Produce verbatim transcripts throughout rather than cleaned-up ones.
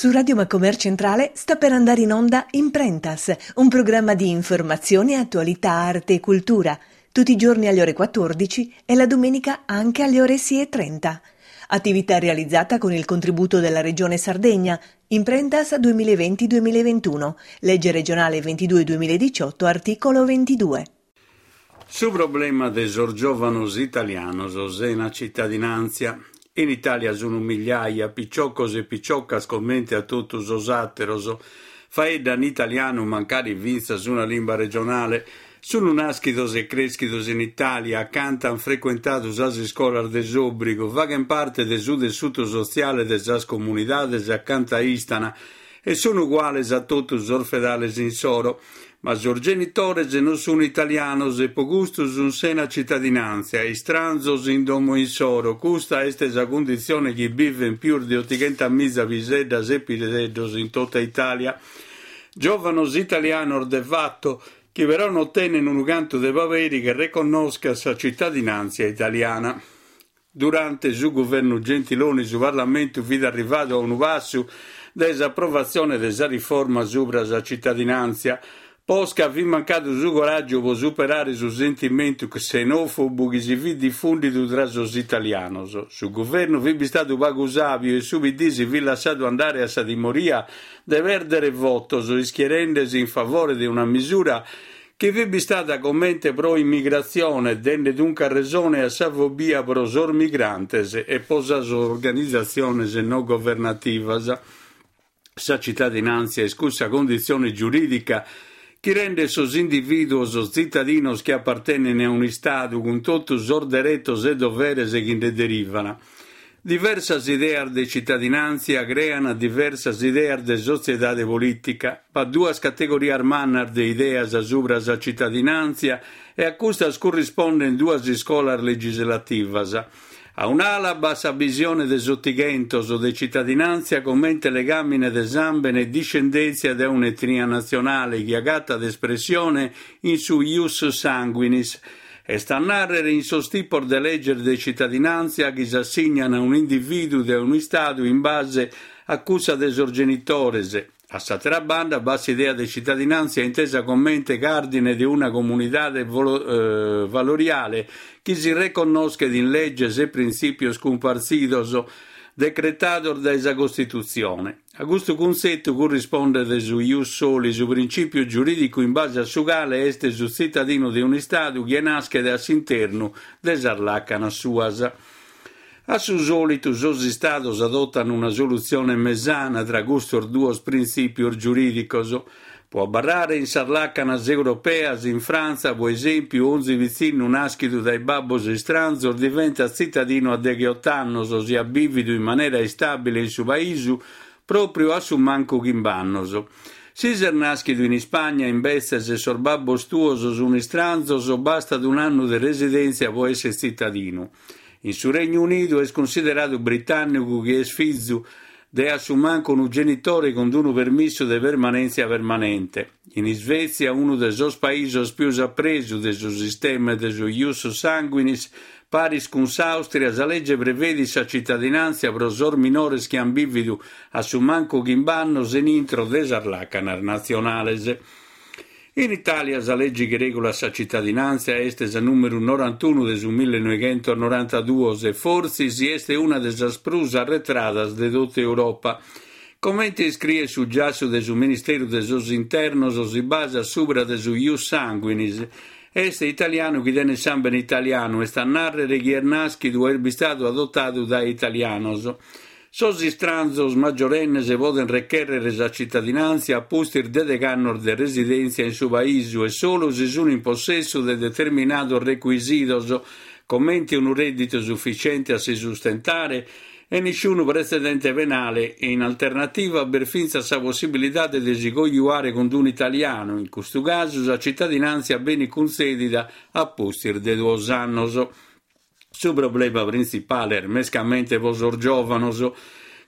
Su Radio Macomer Centrale sta per andare in onda Imprentas, un programma di informazione, attualità, arte e cultura, tutti i giorni alle ore quattordici e la domenica anche alle ore sei e trenta. Attività realizzata con il contributo della Regione Sardegna, Imprentas duemilaventi duemilaventuno, legge regionale ventidue duemiladiciotto, articolo ventidue. Su problema de sos giovanos italianos sena cittadinanza. In Italia sono migliaia, picioccos e picioccas comente a totu sos àteros. Faeddan italianu mancari fintzas una limba regionale. Sono naschidos e creschidos in Italia, acanta han frequentadu sas iscolas de s'òbrigu, faghen parte de su tessutu sotziale de sas comunidades acanta istana e sono uguales a totu sos fedales insoro. Ma sos genitores non sono italianos e po custu sun sena cittadinanza, istranzos in domo insoro. Custa est sa condizione chi viven pius de ottocentomiza piseddas e piseddos in tutta Italia. Giovanos italianos de fatto, chi però non tenen unu cantu de paperi che riconosca sa cittadinanza italiana. Durante su governo Gentiloni su Parlamento fit arrivato a unu passu dae s'approvazione de sa riforma subra sa cittadinanza. Posca fit mancadu su coraggio po superare su sentimentu xenofobu chi si fit diffundidu tra sos italianos. Su governo fit bistadu pagu sabiu e su P D si fit lasciato andare a sa timoria de perdere votos, ischierendesi in favore de una misura chi fit bistata comente pro immigrazione, dende dunque resone a sa fobia pro sos migrantes e po sas organizzazioni no governativas. Sa cittadinanza è cussa condizione giuridica chi rende sos individuos cittadinos che appartengono a un Stato con totus sos deretos e doveres che ne derivano. Diversas ideas de cittadinanza creano diversas ideas de sociedade politica, pa duas categorias mannas de ideas subra sa cittadinanza e a custas corrisponden duas iscolas legislativas. A un'ala bassa visione de sottighentos de cittadinanza comente legamine de sambene e discendenza da un'etnia nazionale chi agatta d'espressione in su ius sanguinis, e sta a narrere in sos tipos de legge de cittadinanza che si assignano a un individuo de un Stato in base a cussa de sos genitores. A s'altra banda bassa idea de cittadinanza intesa comente cardine de una comunidade volo-, eh, valoriale che si riconosca in legges e principios compartidos decretados da sa Costituzione. A questo concetto corrisponde de su ius soli, su principio giuridico in base a su quale est su cittadino de un Stato che nasce da s'interno de sas lacanas suas. A su solito sos Stados adottano una soluzione mesana tra custos duos principios giuridicos. Può barrare in sas lacanas europeas in Francia, per esempio, onzi vicino naschido dai babbos istranzos diventa cittadino a degheotto annos, ossia vivido in maniera stabile in su paisu proprio a su manco chimbannos. Si ser naschido in Spagna, invece, se sos babbos tuos sono istranzos, basta un anno di residenza può essere cittadino. In su Regno Unito è considerato britannico che è sfizzu de assumanco un genitore con un permesso de permanenza permanente. In Svezia, uno dei sos paesi più appreso del suo sistema de su ius sanguinis, paris con s'Austria, sa legge prevede sa cittadinanza pro sos minores che han vivido a sumanco chimbannos in intro des lacanas nazionales. In Italia sa legge che regola sa cittadinanza est sa numero novantuno de su millenovecentonovantadue e forse si est una de sas prus arretradas de tutta Europa. Comente scrive su giasso de su Ministero de sos Internos si basa subra de su ius sanguinis. Este italiano chi tiene sambene italiano e sta a narrere chi è naschido e stato adottato da italianos. Sos istranzos maggiorennes poden requerere sa cittadinanza a pustir de decannos de residenza in su paisu e solo se sono in possesso de determinados requisitos, comente un reddito sufficiente a si sustentare e nessuno precedente penale e in alternativa per finza sa possibilità de si coiuare con un italiano, in questo caso sa cittadinanza bene concedida a pustir de duos annos. Su problema principale è mescamente posor giovanos.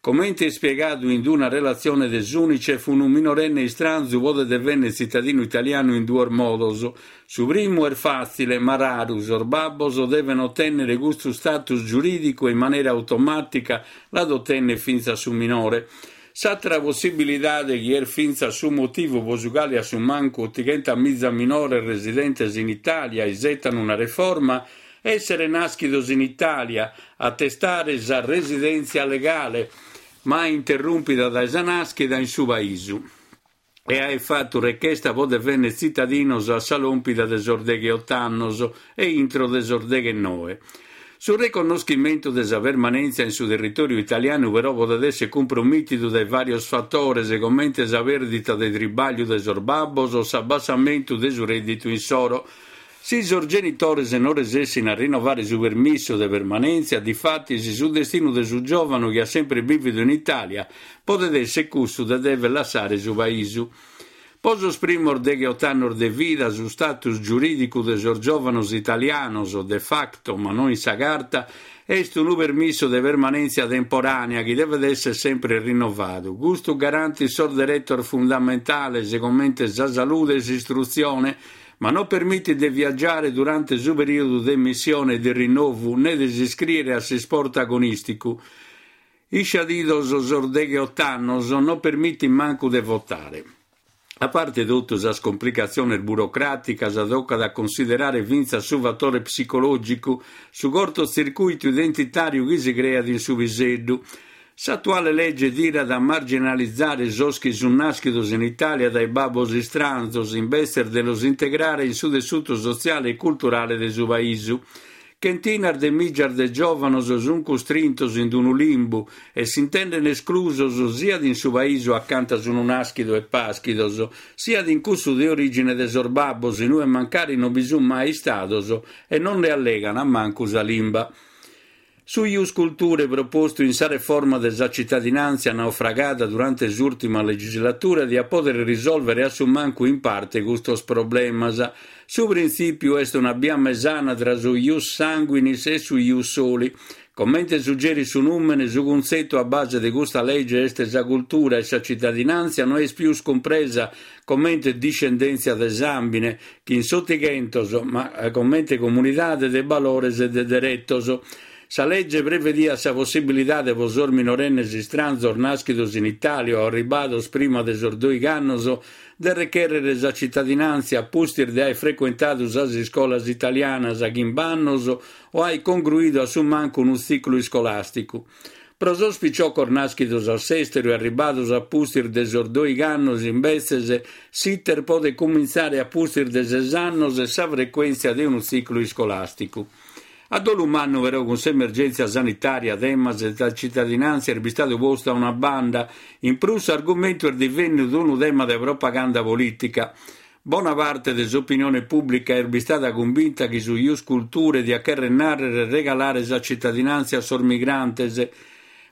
Comente spiegato in una relazione dell'UNICEF, un minorenne istranzu può divenne cittadino italiano in due modos. Su primo è facile, ma raro, sos babbos devono ottenere questo status giuridico in maniera automatica, la ottenne finza su minore. S'atra possibilidade chi est fintzas su motivu po su cale a su mancu ottighentas miza minores residentes in Italia isettan una reforma, essere naschidos in Italia, attestare sa residentzia legale, ma interrumpida dae sa naschida in su paisu. E aer fattu rechesta po devennere tzitadinos a sa lompida de sos degheotto annos e intro de sos deghennoe. Su reconnoschimentu de sa permanentzia in su territoriu italianu però podet essere cumpromittidu dae varios fattores, comente sa perdita de tribagliu de sos babbos o s'abbassamentu de su redditu insoro. Si sos genitores non resessin a rinnovare su permissu de permanentzia, difattis su destinu de su giovanu chi ha sempre bividu in Italia podet essere cussu de dever lassare su paisu. Po sos primos degheotto annos de vida su status giuridicu de sos giovanos italianos, de facto ma non in sa carta, est unu permissu de permanentzia temporanea chi devet essere sempre rinnovadu. Custu garantit sos derettos fundamentales comente sa salude e s'istrutzione, ma non permittit de viaggiare durante su periodu de emissione e de rinnovu né de s'iscriere a s'isport agonisticu. Isciadidos sos degheotto annos non permittit mancu de votare. A parte totu sas complicatziones burocraticas, toccat a considerare fintzas su fattore psicologicu, su cortotzircuitu identitariu chi si creat in su piseddu. S'attuale legge tirat a marginalizzare sos chi sun naschidos in Italia dae babbos istranzos, imbetzes de los integrare in su tessutu sotziale e culturale de su paisu. Chentinas de migias de giovanos sun custrintos in unu limbu e s'intenden esclusos siat in su paisu accanta sun naschidos e paschidos, siat in cussu de origine de sos babbos, inue mancari non bi sun mai istados e non ne allegan mancu sa limba. Su Ius Culturae propostu in sa reforma de sa cittadinantzia naufragada durante s'ultima legislatura diat podere risolvere a su mancu in parte custos problemas. Su printzipiu est una bia mesana tra su Ius Sanguinis e su Ius Soli. Comente suggerit su numene, su cuntzettu a base de custa legge est sa cultura e sa cittadinantzia no est pius cumpresa comente discendentzia de sambine, chi in s'Ottighentos, ma comente comunidade de valores e de derettos. Sa legge prevediat sa possibilidade po sos minorennes istranzos naschidos in Italia o arribados prima de sos doighi annos de recherrere sa cittadinantzia a pustis de aer frecuentadu sas iscolas italianas chimb'annos o aer congruidu a su mancu unu tziclu iscolasticu. Pro sos picioccos naschidos a s'esteru e arribados a pustis de sos doighi annos, imbetzes, s'iter podet cumintzare a pustis de ses annos e sa frecuentzia de unu tziclu iscolasticu. A dolu mannu però cun s'emergentzia sanitaria temas de cittadinantzia est bistadu postu a una banda, in prus s'argumentu est divennidu unu tema de propaganda politica. Bona parte de s'opinione pubblica est bistada cumbinta chi su Ius Culturae diat cherrer narrere regalare sa cittadinantzia a sos migrantes,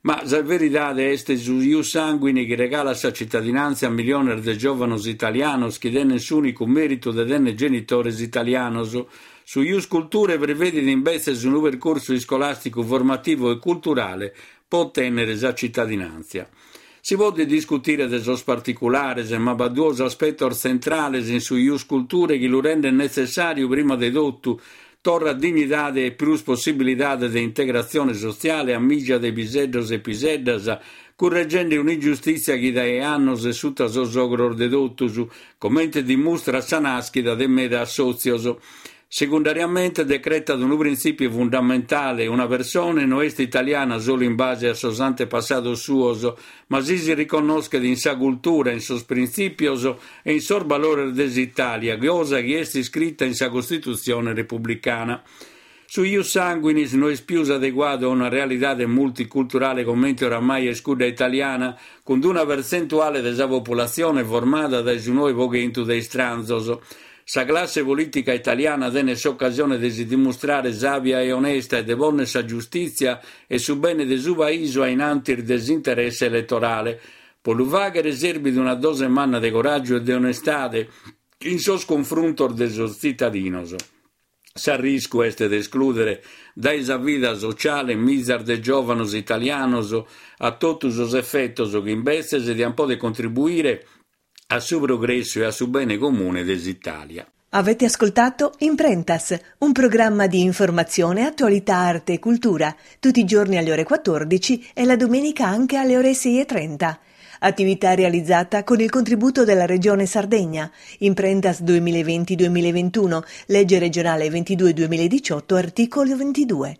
ma sa veridade est su Ius Sanguini chi regalat sa cittadinantzia a miliones de giovanos italianos chi tenen s'unicu meritu de tenere genitores italianos. Su Ius Culturae prevedit imbetzes unu percursu iscolasticu formativu e culturale po ottennere sa cittadinantzia. Si podet discutire de sos particulares, ma b'at duos aspettos tzentrales in su Ius Culturae chi lu renden netzessariu prima de totu, torra dignidade e prus possibilidade de integratzione sotziale a migia de piseddos e piseddas, curreggende un'ingiustitzia chi dae annos est sutta sos ogros de totus, comente dimustrat sa naschida de meda assotzios. Secundariamente decretat unu printzipiu fundamentale: una persone no est italiana solu in base a sos antepassados suos, ma si si riconnoschet in sa cultura, in sos printzipios e in sos valores de s'Italia, cosa chi est iscritta in sa Costitutzione repubblicana. Su Ius Sanguinis no est pius adeguadu a una realidade multiculturale comente oramai est cudda italiana, cun una pertzentuale de sa populatzione formada dae su noe po chentu de istranzos. Sa classe politica italiana tenet s'occasione de si dimustrare sabia e onesta e de ponnere sa giustitzia e su bene de su paisu a in antis de s'interesse elettorale. Po lu faghere serbit una dose manna de coraggio e de onestade in sos confruntos de sos tzitadinos. S'arriscu est de escludere dae sa vida sociale mizas de giovanos italianos a totu sos effettos chi imbetzes dian poder contribuire a su progressu e a su bene comune de s'Italia. Avete ascoltato Imprentas, un programma di informazione, attualità, arte e cultura, tutti i giorni alle ore quattordici e la domenica anche alle ore sei e trenta. Attività realizzata con il contributo della Regione Sardegna. Imprentas duemilaventi-duemilaventuno, legge regionale ventidue duemiladiciotto, articolo ventidue.